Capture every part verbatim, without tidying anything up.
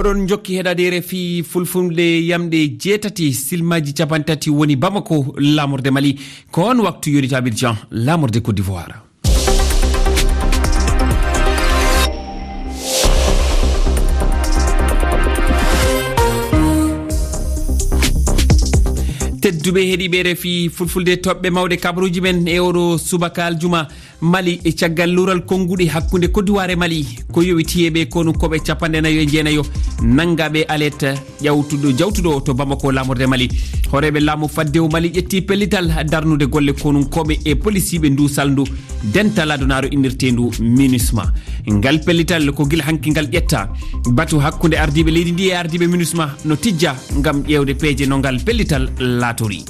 Ɗon jokki heɗaade R F I Fulfulde yamɗe jeetati, silmaaji capanɗe tati woni Bamako, laamorde Mali. Ko on waktu yonita Abidjan, laamorde Côte d'Ivoire. Tedduɓe heɗiiɓe R F I Fulfulde, toɓɓe mawɗe kabaruuji men e oɗo subaka aljuma. Mali, e caggal luural konnguɗi hakkunde Koddiwaar e Mali, ko yowitii e ɓe konunkooɓe capanɗe nayo e jeenayo, nanngaɓe alet ƴawtuɗo, jawtuɗo to Bamako, laamorde Mali. Hooreeɓe laamu faddewu Mali ƴetti pellital darnude golle konunkooɓe e polisiiɓe ndu salndu dental adunaaru innirteendu MINUSMA. Ngal pellital ko gila hanki ngal ƴetta. Batu hakkunde ardiiɓe leydi ndi e ardiiɓe MINUSMA no tijja ngam ƴeewde peeje no ngal pellital laatori.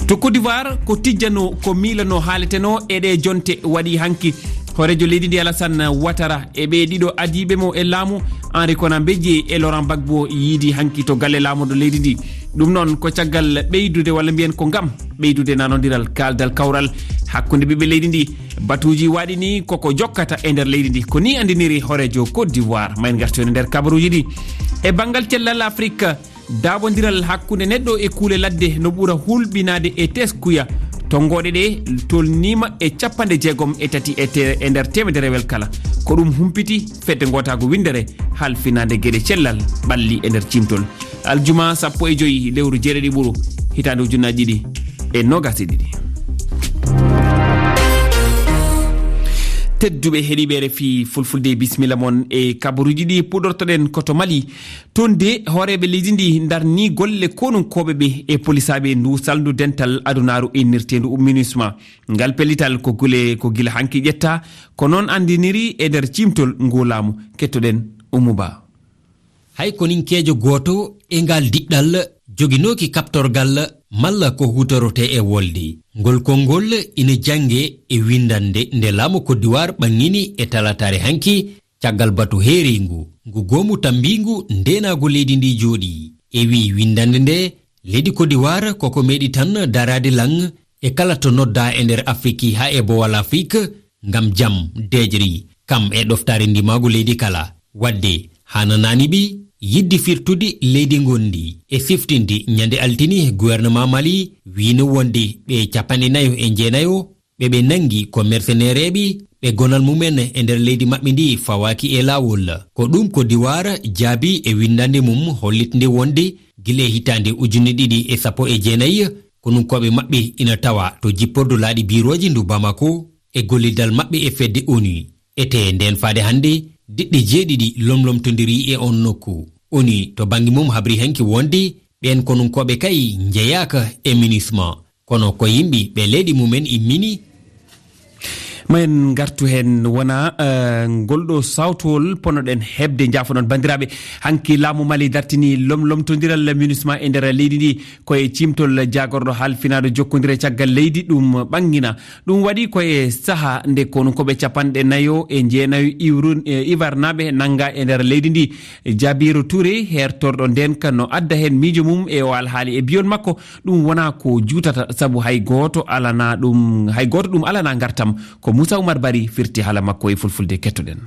To Côte d'Ivoire, ko tijjano, ko miilano, haaletenoo e ɗee jonte waɗi hanki. Hooreejo leydi ndi Alassane Ouattara e ɓee ɗiɗo adiiɓe mo e laamu, Henri Konan Bédié e Laurent Gbagbo, yiidi hanki to galle laamorɗo leydi ndi. Ɗum noon ko caggal ɓeydude, walla mbiyen ko ngam ɓeydude nanondiral, kaaldal, kawral hakkunde ɓiɓɓe leydi ndi. Batuuji waɗi ni koko jokkata e nder leydi ndi. Ko ni anndiniri hooreejo Côte d'Ivoire. Ma en ngartu e nder kabaruuji ɗi. E banngal cellal Afrik, daaɓondiral hakkunde neɗɗo e kuule ladde no ɓura hulɓinaade e teskuya. Tonngooɗe ɗe tolniima e capanɗe jeegom e tati e te-, e nder teemedere wel kala. Ko ɗum humpiti fedde ngootaagu winndere halfinaande geɗe cellal ɓalli e nder ciimtol. Aljuma sappo e joy lewru jeeɗiɗi ɓuru, hitaande ujunnaaji ɗiɗi e noogas e ɗiɗi. Tedduɓe heɗiiɓe R F I Fulfulde, bisimilla mon e kabaruuji ɗi. Puɗortoɗen ko to Mali. Toon de, hooreeɓe leydi ndi ndarni golle konunkooɓe ɓe e polisaaɓe ndu salndu dental adunaaru innirteendu MINUSMA. Ngal pellital ko gule, ko gila hanki ƴetta, ko noon anndiniri e nder ciimtol ngu laamu. Kettoɗen Oumou Ba. Hay koninkeejo gooto e ngal diɗɗal joginooki kaɓtorgal malla ko huutorotee e wolde. Ngol konngol ina jannge e winndannde nde laamu Koddiwaar ɓangini e talataare hanki, caggal batu heereengu ngu goomu tammbiingu ndeenaagu leydi ndi jooɗii. E wii winndannde nde, leydi Koddiwaar koko meeɗi tan daraade lan e kala to noddaa e nder Afiriki haa e Bowal Afrik ngam jam, deeƴri, kam e ɗoftaare ndimaagu leydi kala. Waɗde haananaani ɓi yiɗde firtude leydi ngonndi e siftinde ñande altine, gouvernement Mali wiino wonde ɓe capanɗe nayo e jeenayo ɓe ɓe nanngi ko mercenaires ɓe, ɓe gonal mumen e nder leydi maɓɓe ndi fawaaki e laawol. Ko ɗum Koddiwaar jaabi e winndannde mum hollitnde wonde gila e hitaande ujunne ɗiɗi e sappo e jeenayi, konunkooɓe maɓɓe ina tawa to jippordu laaɗe birooje ndu Bamako e gollidal maɓɓe e fedde ONU. Etee ndeen faade hannde, diɗɗe jeeɗiɗi lomlomtondirii e oon nokku. ONU to bannge mum habri hanki wonde ɓeen konunkooɓe kay njeyaaka e MINUSMA. Kono ko yimɓe ɓe leydi mumen immini. Ma en ngartu heen, wona, eh, ngol ɗo sawtowol ponoɗen heɓde. Njaafoɗon banndiraaɓe, hanki laamu Mali dartini lomlomtondiral MINUSMA e nder leydi ndi, ko e ciimtol jaagorɗo halfinaaɗo jokkondire caggal leydi ɗum ɓangina. Ɗum waɗi ko e saha nde konunkooɓe capanɗe nayo e jeenayo iwrun-, e ivarnaaɓe nannga e nder leydi ndi. Jabiru Touré, hertorɗo ndeenka, no adda heen miijo mum e o alhaali. E biyon makko, ɗum wona ko juutata, sabu hay gooto alana ɗum, hay gooto ɗum alana ngartam. Ko Moussa Oumar Bari firti haala makko e fulfulde, kettoɗen.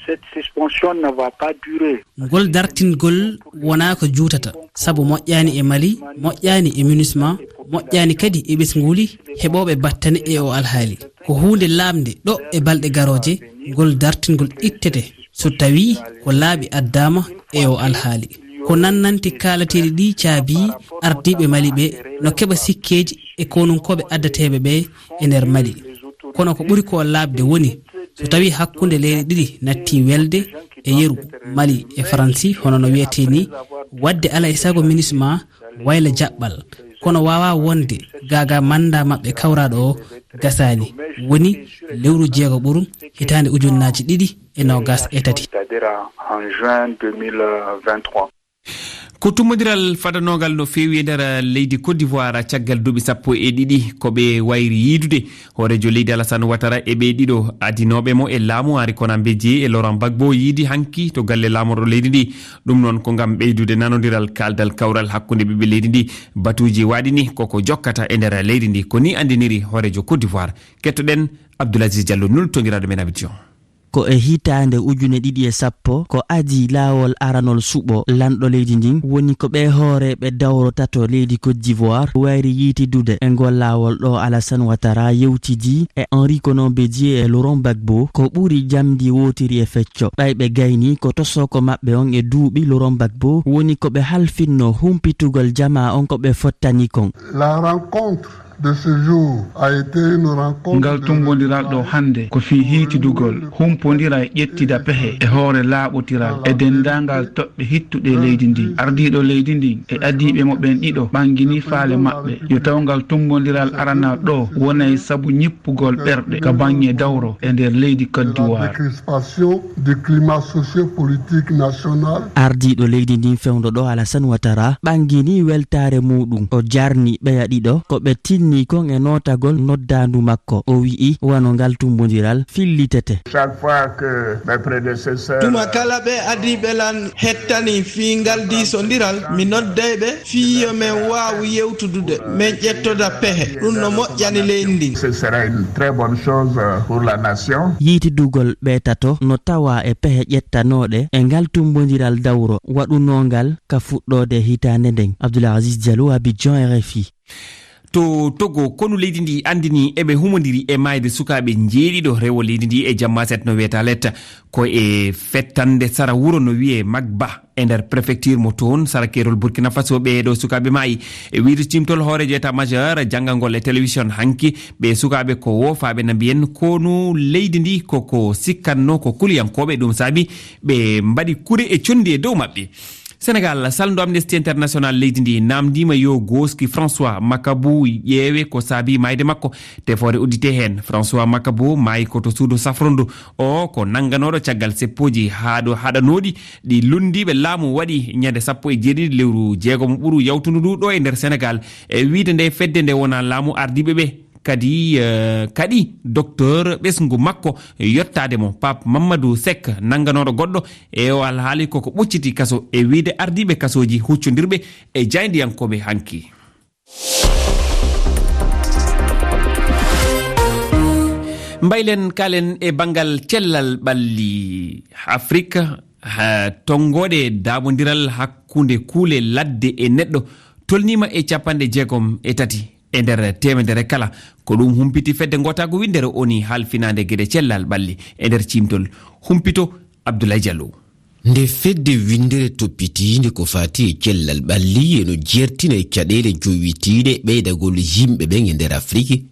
Cette suspension ne va pas durer. Ngol dartingol wona ko juutata, sabu moƴƴaani e Mali, moƴƴaani e MINUSMA, moƴƴaani kadi e ɓesnguuli heɓooɓe battane e o alhaali. Ko huunde laaɓnde ɗo e balɗe garooje, ngol dartingol ittete so tawii ko laaɓi addaama e o alhaali. Ko nannanti kaalateeɗi ɗi caabii ardiiɓe Mali ɓe no keɓa sikkeeji e konunkooɓe addateeɓe ɓe e nder Mali. Kono ko ɓuri ko laaɓde woni so tawii hakkunde leyɗe ɗiɗi natti welde e yeru, Mali e Faransi, hono no wiyetee ni, waɗde alaa e sago MINUSMA wayla jaɓɓal, kono waawaa wonde gaagaa manndaa maɓɓe kawraaɗo o gasaani, woni lewru jeego ɓuru hitaande ujunnaaji ɗiɗi e noogas e tati. C'est-à-dire en juin deux mille vingt-trois. Ko tummbondiral fadanoogal no feewi e nder leydi Côte d'Ivoire caggal duuɓi sappo e ɗiɗi ko ɓe wayri yiidude. Hooreejo leydi Alassane Ouattara e ɓee ɗiɗo adinooɓe mo e laamu, Henri Konan Bédié e Laurent Gbagbo, yiidi hanki to galle laamorɗo leydi ndi. Ɗum noon ko ngam ɓeydude nanondiral, kaaldal, kawral hakkunde ɓiɓɓe leydi ndi. Batuuji waɗi ni koko jokkata e nder leydi ndi. Ko ni anndiniri hooreejo Côte d'Ivoire. Kettoɗen Abdoul Aziz Diallo, nultongiraaɗo men Abidjan. ko e hitaande ujune ɗiɗi e sappo ko adii laawol aranol suɓo lanɗo leydi ndin, woni ko ɓee hooreeɓe dawro tato leydi Côte d'Ivoire wayri yiitidude e ngol laawol ɗo Alassane Ouattara yewtidii e Henri Konan Bédié e Laurent Gbagbo ko ɓuri jamndi wootiri e fecco. Ɓay ɓe gaynii ko tosoko maɓɓe on e duuɓi, Laurent Gbagbo woni ko ɓe halfinno humpitugol jamaa on ko ɓe fottani kon. La rencontre de ce jour a été une rencontre. Ngal tumbondiral ɗo hannde ko fii hiitidugol, humpondira e ƴettida pehe e hoore laaɓotiral e denndaangal toɓɓe hittuɗe leydi ndin. Ardiiɗo leydi ndin e adiiɓe mo ɓen ɗiɗo ɓanngini faale maɓɓe yo taw ngal tumbondiral aranal ɗo wonay sabu ñippugol ɓerɗe ka baŋŋe dawro e nder leydi Côte d'Ivoire. Décrispation du climat socio-politique national. Ardiiɗo leydi ndin fewndo ɗo Alassane Ouattara ɓanngini weltaare muuɗum. O jarni ɓeya ɗiɗo ko ɓe tinni kon e nootagol noddaandu makko. O wi'i wano ngal tumbondiral fillitete. Chaque fois que mes prédécesseurs, tuma kala ɓe adiiɓe lan hettani fii ngal diisondiral, mi nodday ɓe fii yo men waawu yewtudude, men ƴettoda pehe. Ɗum no moƴƴani leydi ndin. Ce sera une très bonne chose, euh, pour la nation. Yiitidugol ɓe tato no tawa e pehe ƴettanooɗe e ngal tumbondiral dawro waɗunongal ka fuɗɗoode hitaande nden. Abdoul Aziz Diallo, Abidjan, R F I. To Togo, konu leydi ndi andini eɓe humondiri e maayde sukaaɓe njeeɗiɗo rewo leydi ndi e jamma set no wiyeta Letta. Ko e fettande sara wuro no wiye Magba e nder prefecture mo toon, sara keerol Burkina Faso, ɓee ɗo sukaaɓe maayi. E wiide cimtol hooreejo état majeur janngangol e télévision hanki, ɓe sukaaɓe ko woofaaɓe na mbiyen konu leydi ndi koko sikkatno ko kuliyankooɓe, ɗum saabi ɓe mbaɗi kure e conndi e dow maɓɓe. Senegal, salndo Amnesty International leydi ndi namndima yo gooski François Makabu ƴeewe ko saabi maayde makko. Tefoore uddite heen. François Makabu maayi ko to suudu safrondu. O ko nannganooɗo caggal seppooji haɗo-, haɗanooɗi ɗi lunndiiɓe laamu waɗi ñande sappo e jeeɗiɗi lewru jeegomo ɓuru yawtundu ndu ɗo e nder Senegal. E wiide nde fedde nde wona laamu ardiiɓe ɓe. Kadi, eh, kadi docteur ɓesngu makko yottaade mo, Pape Mamadou Seck, nannganooɗo goɗɗo e o alhaali koko ɓocciti kaso e wiide ardiiɓe kasooji huccondirɓe e jaayndiyankooɓe hanki. Mbaylen kalen e banngal cellal ɓalli Afrik, ha, tonngooɗe daaɓondiral hakkunde kuule ladde e neɗɗo tolniima e capanɗe jeegom e tati e nder teemedere kala. Ko ɗum humpiti fedde ngootaagu winndere O N U halfinaande geɗe cellal ɓalli e nder ciimtol. Humpito Abdoulaye Diallo. Nde fedde winndere toppitiinde ko faati e cellal ɓalli, eno jeertina e caɗeele jowitiiɗe ɓeydagol yimɓe ɓen e nder Afiriki,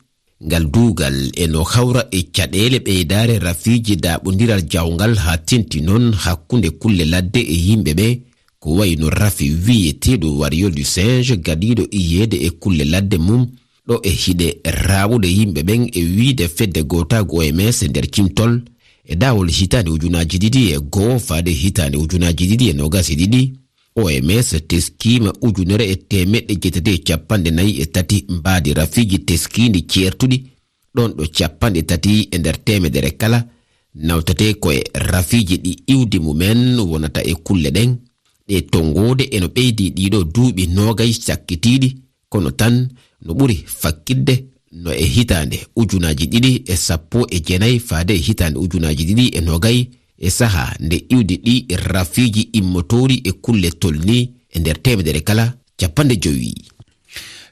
ngal duugal eno hawra e caɗeele ɓeydaare rafiiji daaɓondiral jawngal, haa tenti noon hakkunde kulle ladde e yimɓe ɓe, ko wayi no rafi wiyeteeɗo Warrior du Singe, gadiiɗo iyeede e kulle ladde mum, ɗo e hiɗe raawude yimɓe ɓen e wiide fedde gootaagu O M S e nder cimtol, e daawol hitaande ujunaaji ɗiɗi e goo faade hitaande ujunaaji ɗiɗi e noogas e ɗiɗi, O M S teskiima ujunere e teemeɗɗe jeetati e capanɗe nayi e tati mbaadi rafiiji teskiindi ceertuɗi, ɗon ɗo capanɗe tati e nder teemedere kala nawtatee ko e rafiiji ɗi iwdi mumen wonata e kulle ɗen. Ɗe tonngoode eno ɓeydi ɗiɗo duuɓi noogay cakkitiiɗi, kono tan no ɓuri fakkitde no e hitaande ujunaaji ɗiɗi e sappo e jeenay faade e hitaande ujunaaji ɗiɗi e noogay, e sahaa nde iwdi ɗi rafiiji immotoori e kulle tolni e nder teemedere kala capanɗe jowi.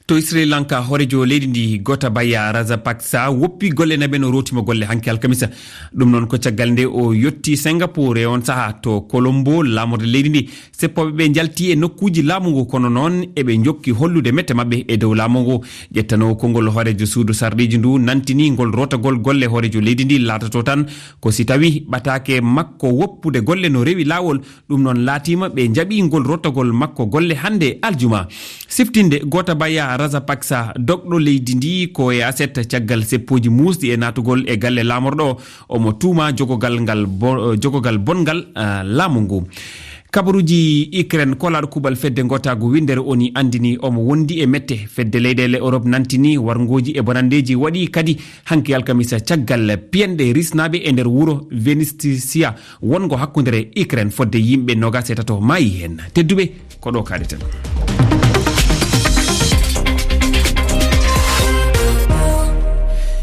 To Sri Lanka, hooreejo leydi ndi Gotabaya Rajapaksa woppi golle naɓe no rootima golle hanki alkamisa. Ɗum noon ko caggal nde o yotti Singapour e on sahaa to Colombo laamorde leydi ndi. Seppooɓe ɓe njalti e nokkuuji laamu ngu, kono noon eɓe njokki hollude mette maɓɓe e dow laamu ngu. Ƴettanoowo konngol hooreejo suudu sarɗiiji ndu nantini ngol rootagol golle hooreejo leydi ndi laatoto tan ko si tawi ɓataake makko woppude golle no rewi laawol. Ɗum noon laatiima ɓe njaɓi ngol rottagol makko golle hannde aljuma. Siftinde, Gotabaya Rajapaksa, dogɗo leydi ndi ko e aset caggal seppooji muusɗi e naatugol e galle laamorɗo o, omo tuuma jogogal ngal bo-, jogogal bonngal, ah, laamu ngu. Kabaruuji Ukraine, kolaaɗo kuuɓal fedde ngootaagu winndere O N U anndini omo wondi e mette. Fedde leyɗeele Europe nantini warngooji e bonanndeeji waɗi kadi hanki alkamisa caggal piyanɗe risnaaɓe e nder wuro Vinnytsia wonngo hakkunde Ukraine, fodde yimɓe noogas e tato maayi heen. Tedduɓe, ko ɗo kaaɗeten.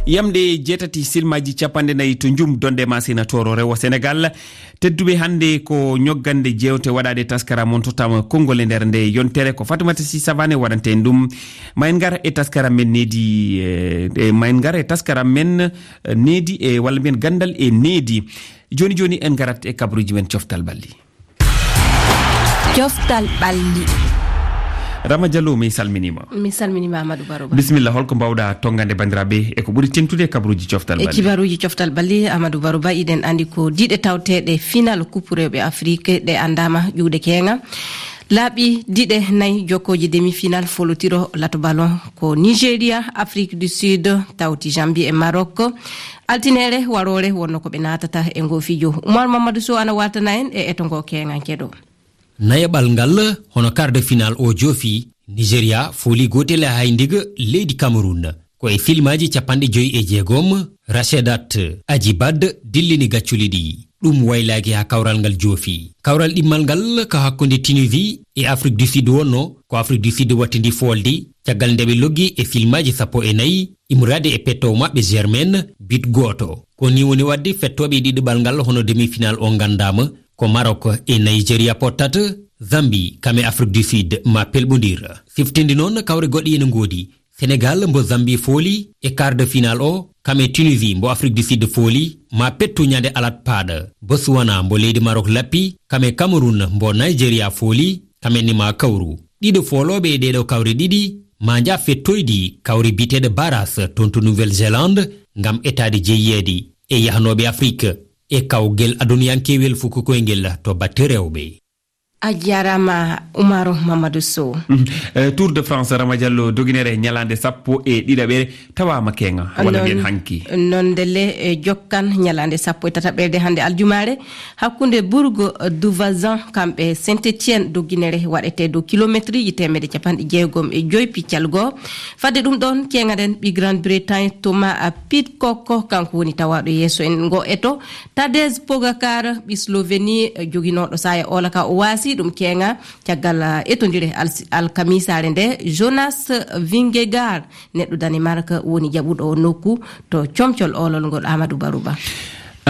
Yamɗe jeetati silmaaji capanɗe nayi to Njum, Donde Masina, Tooro, rewo Senegal. Tedduɓe, hannde ko ñoggande jeewte waɗaade taskaram on tottaama konngol e nder nde yontere. Ko Fatumata Si Savane waɗante en ɗum. Ma en ngar e taskaram men needi, eh, eh, ma en ngar e taskaram men, eh, needi e walla mbiyen ganndal e needi. Jooni jooni en ngarat e kabruuji men coftal ɓalli. Coftal ɓalli. Rama Diallo, mi salminiima. Mi salminiima, Amadou Baroba. Bisimilla, holko mbaawɗa tonngande banndiraaɓe e ko ɓuri teŋtude e kabruuji coftal E ɓalli? Kibaruuji coftal ɓalli, Amadou Baroba, iɗen anndi ko diɗe tawteeɗe final Coupe rewɓe Afrique ɗe anndaama ƴuwde keeŋa. Laaɓi diɗe nayi jokkooji demi-final folotiro lato ballon ko Nigeria, Afrique du Sud, tawti Zambie e Maroc. Altineere waroore wonno ko ɓe naatata e ngoo fijo. Oumar Mamadou Sow ana waaltana en e eto ngoo keeŋa keɗo. Nayaɓal ngal, hono quart de finale o joofi, Nigeria fooli gootel e hay ndiga leydi Cameroun. Ko e filmaaji capanɗe joyi e jeegom, Rachedat Ajibad dillini gacculi ɗi. Ɗum waylaaki haa kawral ngal joofi. Kawral ɗimmal ngal ko hakkunde Tunisie e Afrique du Sud wonno, ko Afrique du Sud wattindi foolde, caggal nde ɓe loggi e filmaaji sappo e nayi, immorade e pettoowo maɓɓe Germain, but gooto. Ko ni woni waɗde fettooɓe e ɗiɗaɓal ngal hono demi-final o nganndaama, ko Maroc e Nigeria pottata, Zambie kam e Afrique du Sud ma pelɓondir. Siftinde noon kawre goɗɗe ene ngoodi. Senegal mbo Zambie fooli e quart de finale o, kam e Tunisie mbo Afrique du Sud fooli, ma pettu ñande alat paaɗa. Botswana mbo leydi Maroc lappi, kam e Cameroun mbo Nigeria fooli, kam en ni ma kawru. Ɗiɗo foolooɓe e ɗeeɗo kawre ɗiɗi, ma nja fettoydi kawre biyeteeɗo barrage toon to Nouvelle-Zélande, ngam etaade jeyeede e yahnooɓe Afrique e kawgel aduniyankewel fuku koyngel to batte rewɓe. A jaaraama, Umaru Mamadou Sow. Mhm. Eh, Tour de France, Rama Diallo, doginere ñalaande sappo e ɗiɗaɓere tawaama keeŋa, walla mbiyen hanki. Non ndelle, eh, jokkan ñalaande sappo e tataɓere hannde aljumaare, hakkunde Bourg du Vazan, kamɓe Saint-Étienne, doginere waɗetee dow kilometriji teemedde capanɗe jeegom e joy piccal goo. Fadde ɗum ɗoon, keeŋaɗen ɓii Grande-Bretagne, Thomas Pidcock, kanko woni tawaaɗo yeeso en ngo eto. Tadej Pogacar, ɓii Slovénie, joginooɗo saaya ola ka, o waasi ɗum keeŋa caggal, eh, etondire al-, alkamisaare nde. Jonas Vingegaard, neɗɗo Danemark, woni jaɓuɗo o nokku to comcol olol ngol, Amadou Baruba.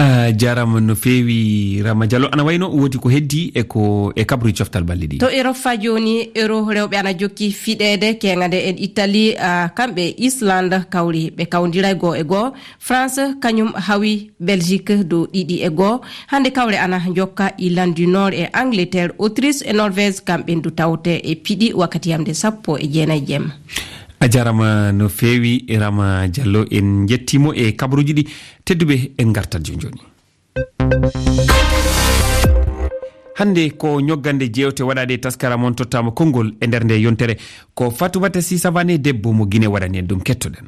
A jaaraama no feewi, Rama Diallo. Ana wayno woodi ko heddi e ko, e kabru coftal balɗe ɗi? To Europe faa jooni, Euro rewɓe ana jokki fiɗeede, keeŋa nde en Italie, ah, kamɓe Islande kawri, ɓe kawndira goo e goo. France kañum hawi Belgique dow ɗiɗi e goo. Hannde kawre ana jokka Irlande du Nord e Angleterre, Autriche e Norvège, kamɓe ndu tawte e piɗi wakkati yamde sappo e jeenayi jemma. A jaaraama no feewi, Rama Diallo. En njettii mo e kabaruuji ɗi. Tedduɓe, en ngartat jooni jooni. Hannde ko ñoggande jeewte waɗaade e taskaram on tottaama konngol e nder nde yontere. Ko Fatoumata Sy Savané, debbo mo Guinée, waɗani en ɗum. Kettoɗen.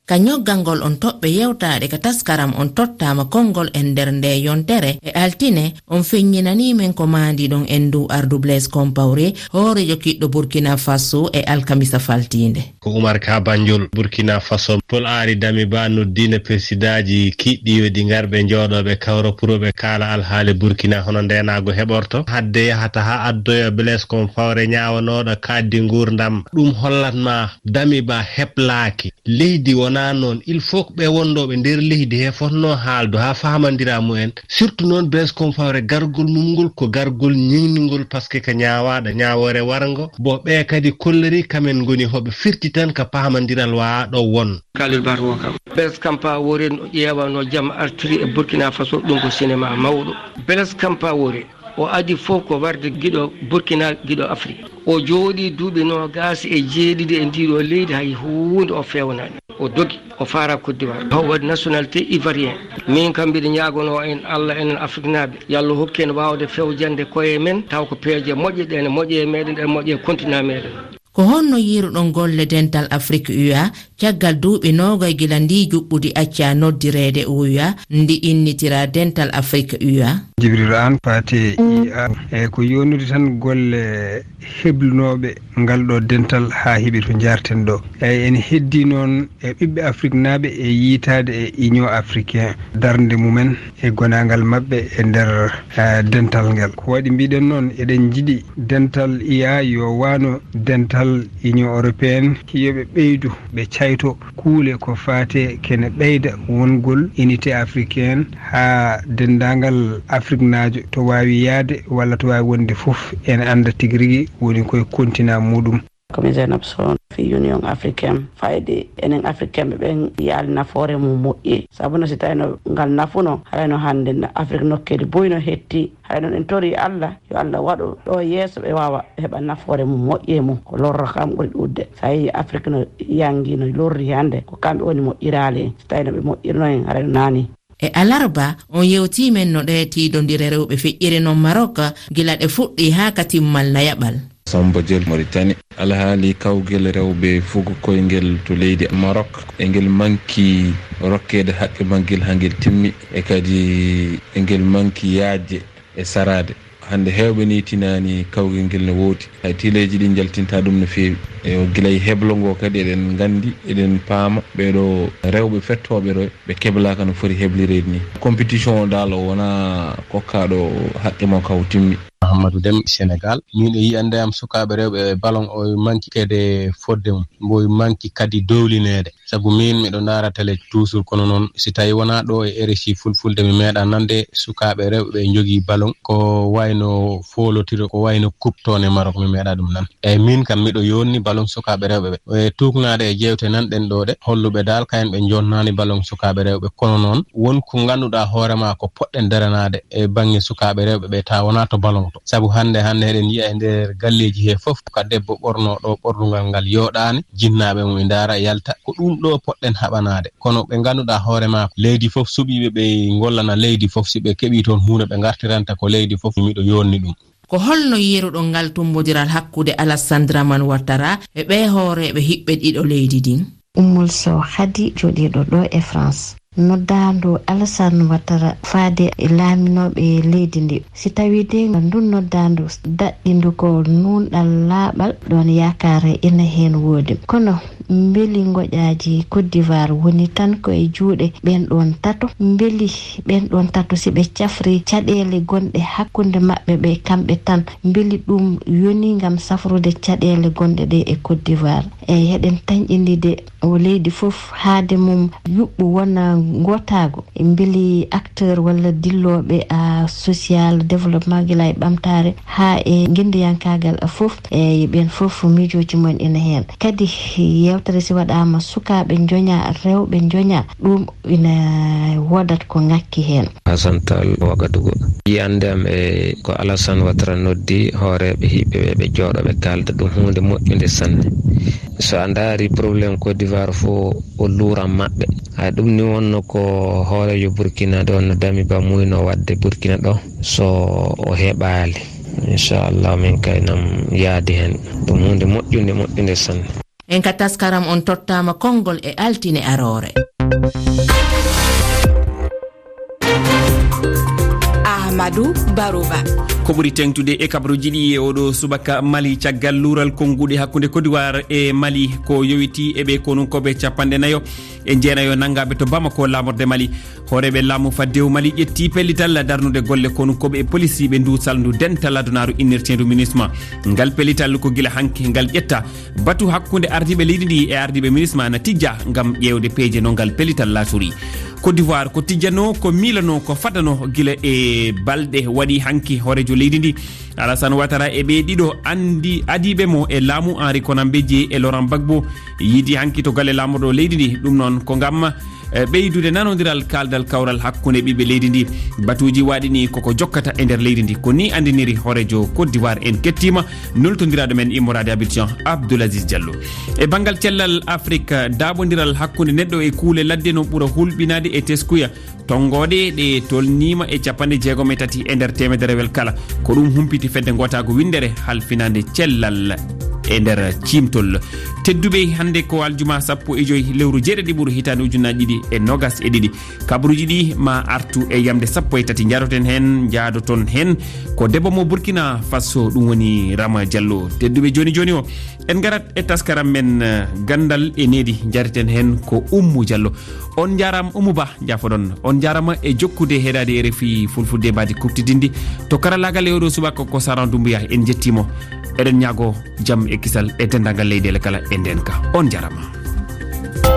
Ka ñoggangol on toɓɓe yewtaaɗe ka taskaram on tottaama konngol e nder nde yontere e altine, on feññinanii men ko maandi ɗon en dow ardu Blaise Compaoré, hooreejo kiɗɗo Burkina Faso e alkamisa faltiinde. Ko Umar Ka Banjul, Burkina Faso. Paul Henri Damiba noddino persidaaji kiɗɗi yo ɗi ngar ɓe njooɗo ɓe kawra pour ɓe kaala alhaali Burkina hono ndeenaagu heɓorto. Hadde yahata haa addoya Blaise Compaoré ñaawanooɗo kaaɗdi nguurndam. Ɗum hollat ma Damiba heplaaki. Leydi wonaa noon. Il faut ko ɓe wondooɓe nder leydi he fotnoo haaldu haa fahamandira mumen. Surtout noon Blaise Compaoré gargol mum ngol ko gargol ñiŋningol, parce que ko ñaawaaɗo ñaawoore warngo. Bo ɓe kadi kollori kamen ngoni hoɓe firti tan ka pahamandiral wa ɗo won. Khalil Barro kam. Blaise Compaoré no ƴeewano jam artiri e Burkina Faso, ɗum ko cinéma mawɗo. Blaise Compaoré o adi fof ko warde giɗo Burkina, giɗo Afrique. O jooɗii duuɓi noogaas e jeeɗiɗi e ndiiɗo leydi, hay huunde o feewnaani. O dogi, o faara Côte d'Ivoire. O waɗi nationalité ivoirien. Min kam mbiɗa ñaagonoo en Allah, enen Afriknaaɓe, yo Allah hokku en waawde fewjande koye men, taw ko peeje moƴƴe, ɗe ene moƴƴe e meɗen, ɗe moƴƴe e continent meɗen. Ko honno yiiruɗon golle Dental Afrik U A caggal duuɓi noogay gila ndii juɓɓudi accaa noddireede U A, ndi innitiraa Dental Afrik U A? Jibril Aan, faate I A, e ko yownude tan golle heblunooɓe ngal ɗo dental haa heɓi to njaarten ɗo. Eyi, ene heddii noon e ɓiɓɓe Afriknaaɓe e yiytaade e Union Africain, darnde mumen e gonaangal maɓɓe e nder, eh, dental ngal. Ko waɗi mbiɗen noon, eɗen njiɗi dental I A yo wano dental Union Européenne, yo ɓe ɓeydu, ɓe cayto kuule ko faate kene ɓeyda wongol unité africaine haa denndaangal Afriknaajo to waawi yahde walla to waawi wonde fof ene annda tigi rigi woni koye kontinaa muɗum. Ko mi Zainab Sow, fii Union Africaine. Fayde enen Africain ɓe ɓen yaali nafoore mum moƴƴi. Sabu no si tawino ngal nafuno, harayno hannde na Afrik nokkeeli buy no hetti. Haray noon en torii Allah, yo Allah waɗu ɗo yeeso ɓe waawa heɓa nafoore mum moƴƴi e mum. Ko lorra kam ɓuri ɗuuɗde. So a yii Afrik no yanngi, no lorri hannde, ko kamɓe woni moƴƴiraali. So tawino ɓe moƴƴirno en, haray no naani. E alarba, on yewtii men no ɗee tiiɗondire rewɓe feƴƴiri non Maroc, gila ɗe fuɗɗii haa ka timmal nayaɓal. Samba Diel, Mauritanie. Alhaali kawgel rewɓe fugo koyngel to leydi Maroc, e ngel manki rokkeede haqqe maggel haa ngel timmi, e kadi e ngel manki yaajde e saraade. Hannde heewɓe ni tinaani kawgel ngel no woodi. Hay tileeji ɗi njaltinta ɗum no feewi. E o gila e heblo ngo kadi eɗen nganndi, eɗen paama ɓeeɗo rewɓe fettooɓe ɗo, ɓe keblaaka no foti heblireede ni. Compétition o daal o wonaa kokkaaɗo haqqe makko o timmi. Mahamadou Dem, Sénégal. Min e yiyannde am sukaaɓe rewɓe e ballon o manki kede fodde mum. Mbo manki kadi dowlineede. Sabu min miɗo ndaara télé toujours, kono noon si tawi wonaa ɗo e R F I Fulfulde mi meeɗa nande sukaaɓe rewɓe ɓe njogii ballon ko wayno foolotiro, ko wayno coupe to ne Maroc mi meeɗa ɗum nan. Eyi, min kam miɗo yonni ballon sukaaɓe rewɓe ɓe. E tuugnaade e jeewte nan ɗen ɗo ɗe, holluɓe daal kayen ɓe jonnani ballon sukaaɓe rewɓe. Kono noon won ko ngannduɗaa hoore ma ko poɗɗen daranaade e baŋnge sukaaɓe rewɓe ɓe, tawa wonaa to ballon to. Sabu hannde, hannde eɗen yiya e nder galleeji he fof ka debbo ɓorno ɗo ɓornungal ngal yooɗaani, jinnaaɓe mum e ndaara yalta. Ko ɗum ɗo poɗɗen haɓanaade. Kono ɓe ngannduɗaa hoore ma ko leydi fof suɓiiɓe ɓe ngollana leydi fof, si ɓe keɓii toon huunde ɓe ngartiranta ko leydi fof, miɗo yonni ɗum. Ko holno yiiruɗon ngal tummbondiral hakkunde Alassane Dramane Ouattara e ɓee hooreeɓe hiɓɓe ɗiɗo leydi ndin? Ummul Sow Khady, jooɗiiɗo ɗo e France. Noddaandu Alassane Ouattara faade e laaminooɓe leydi ndi. Si tawii de ndun noddaandu daɗɗindu ko nuunɗal laaɓal, ɗon yaakaare ina heen woodi. Kono mbeli ngoƴaaji Côte d'Ivoire woni tan ko e juuɗe ɓeen ɗoon tato? Mbeli ɓeen ɗoon tato, si ɓe cafri caɗeele gonɗe hakkunde maɓɓe ɓe kamɓe tan, mbeli ɗum yoni ngam safrude caɗeele gonɗe ɗe e Côte d'Ivoire? Eyi, heɗen tanƴindide o leydi fof haade mum yuɓɓu wona ngootaagu. Mbeli acteur walla dillooɓe a social développement gila e ɓamtaare haa e ngenndiyankaagal fof, eyi, ɓeen fof miijooji mum ina heen. Kadi yewtere si waɗaama sukaaɓe njoña, rewɓe njoña, ɗum ina woodat ko ŋakki heen. Hasan Tall, Wagadugu. Yiyannde am e ko Alassane Ouattara noddi hooreeɓe hiɓɓe ɓe, ɓe jooɗo ɓe kaalda, ɗum huunde moƴƴunde sanne. So a ndaari problème Côte d'Ivoire fof o luuran maɓɓe. Hay ɗum ni wonno ko hooreejo Burkina ɗo no Damiba muyno waɗde Burkina ɗo, so o heɓaali. Inchallah min kay nam yaadi heen. Ɗum huunde moƴƴunde, moƴƴunde sanne. En ka taskaram on tottaama konngol e altine aroore. Ahmadou Barouba. Ko ɓuri teŋtude e kabaruuji ɗi e oɗo subaka Mali, caggal luural konnguɗi hakkunde Côte d'Ivoire e Mali, ko yowiti e ɓe konunkooɓe capanɗe nayo e jeenayo nanngaaɓe to Bamako, laamorde Mali. Hooreeɓe laamu faddewu Mali ƴetti pellital darnude golle konunkooɓe e polisiiɓe ndu salndu dental adunaaru innirteendu MINUSMA. Ngal pellital ko gila hanki ngal ƴetta. Batu hakkunde ardiiɓe leydi ndi e ardiiɓe MINUSMA na tijja ngam ƴeewde peeje no ngal pellital laatori. Côte d'Ivoire ko tijjano, ko miilano, ko fadano gila e balɗe waɗi hanki hooreejo leydi ndi, Alassane Ouattara, e ɓe ɗiɗo anndi adiiɓe mo e laamu, Henri Konan Bédié e Laurent Gbagbo, yiidi hanki to galle laamorɗo leydi ndi. Ɗum noon ko ngam, eh, ɓeydude nanondiral kaaldal kawral hakkunde ɓiɓɓe leydi ndi. Batuuji waɗi ni koko jokkata e nder leydi ndi. Ko ni anndiniri hooreejo Côte d'Ivoire. En kettiima nultondiraaɗo men immoraade Abidjan, Abdoul Aziz Diallo. E banngal cellal Afrik, daaɓondiral hakkunde neɗɗo e kuule ladde no ɓura hulɓinaade e teskuya. Tonngooɗe ɗe tolniima e capanɗe jeegom e tati e nder teemederewel kala. Ko ɗum humpiti fedde ngootaagu winndere halfinaande cellal. E nder ciimtol tedduɓe, hannde ko aljuma sappo e joy lewru jeeɗiɗi ɓuru hitaande ujunnaji ɗiɗi e nogas e ɗiɗi. Kabaruuji ɗi ma artu e yamde sappo e tati. Njaroten heen, njaadoton heen ko debbo mo Burkina Faso, ɗum woni Rama Diallo. Tedduɓe, jooni jooni o, en ngarat e taskaram men, eh, Ganndal e Needi. Njareten heen ko Ummu Diallo. On njaaraama, Ummu Ba, njaafoɗon. On njaaraama e jokkude heɗaade R F I Fulfulde, mbaadi kuuɓtidinndi. To karallaagal e oɗo subaka ko Saran Dumbuya, en njettii mo. Eɗen ñaago jam e kisal e denndaangal leyɗeele kala e ndeenka. On njaaraama.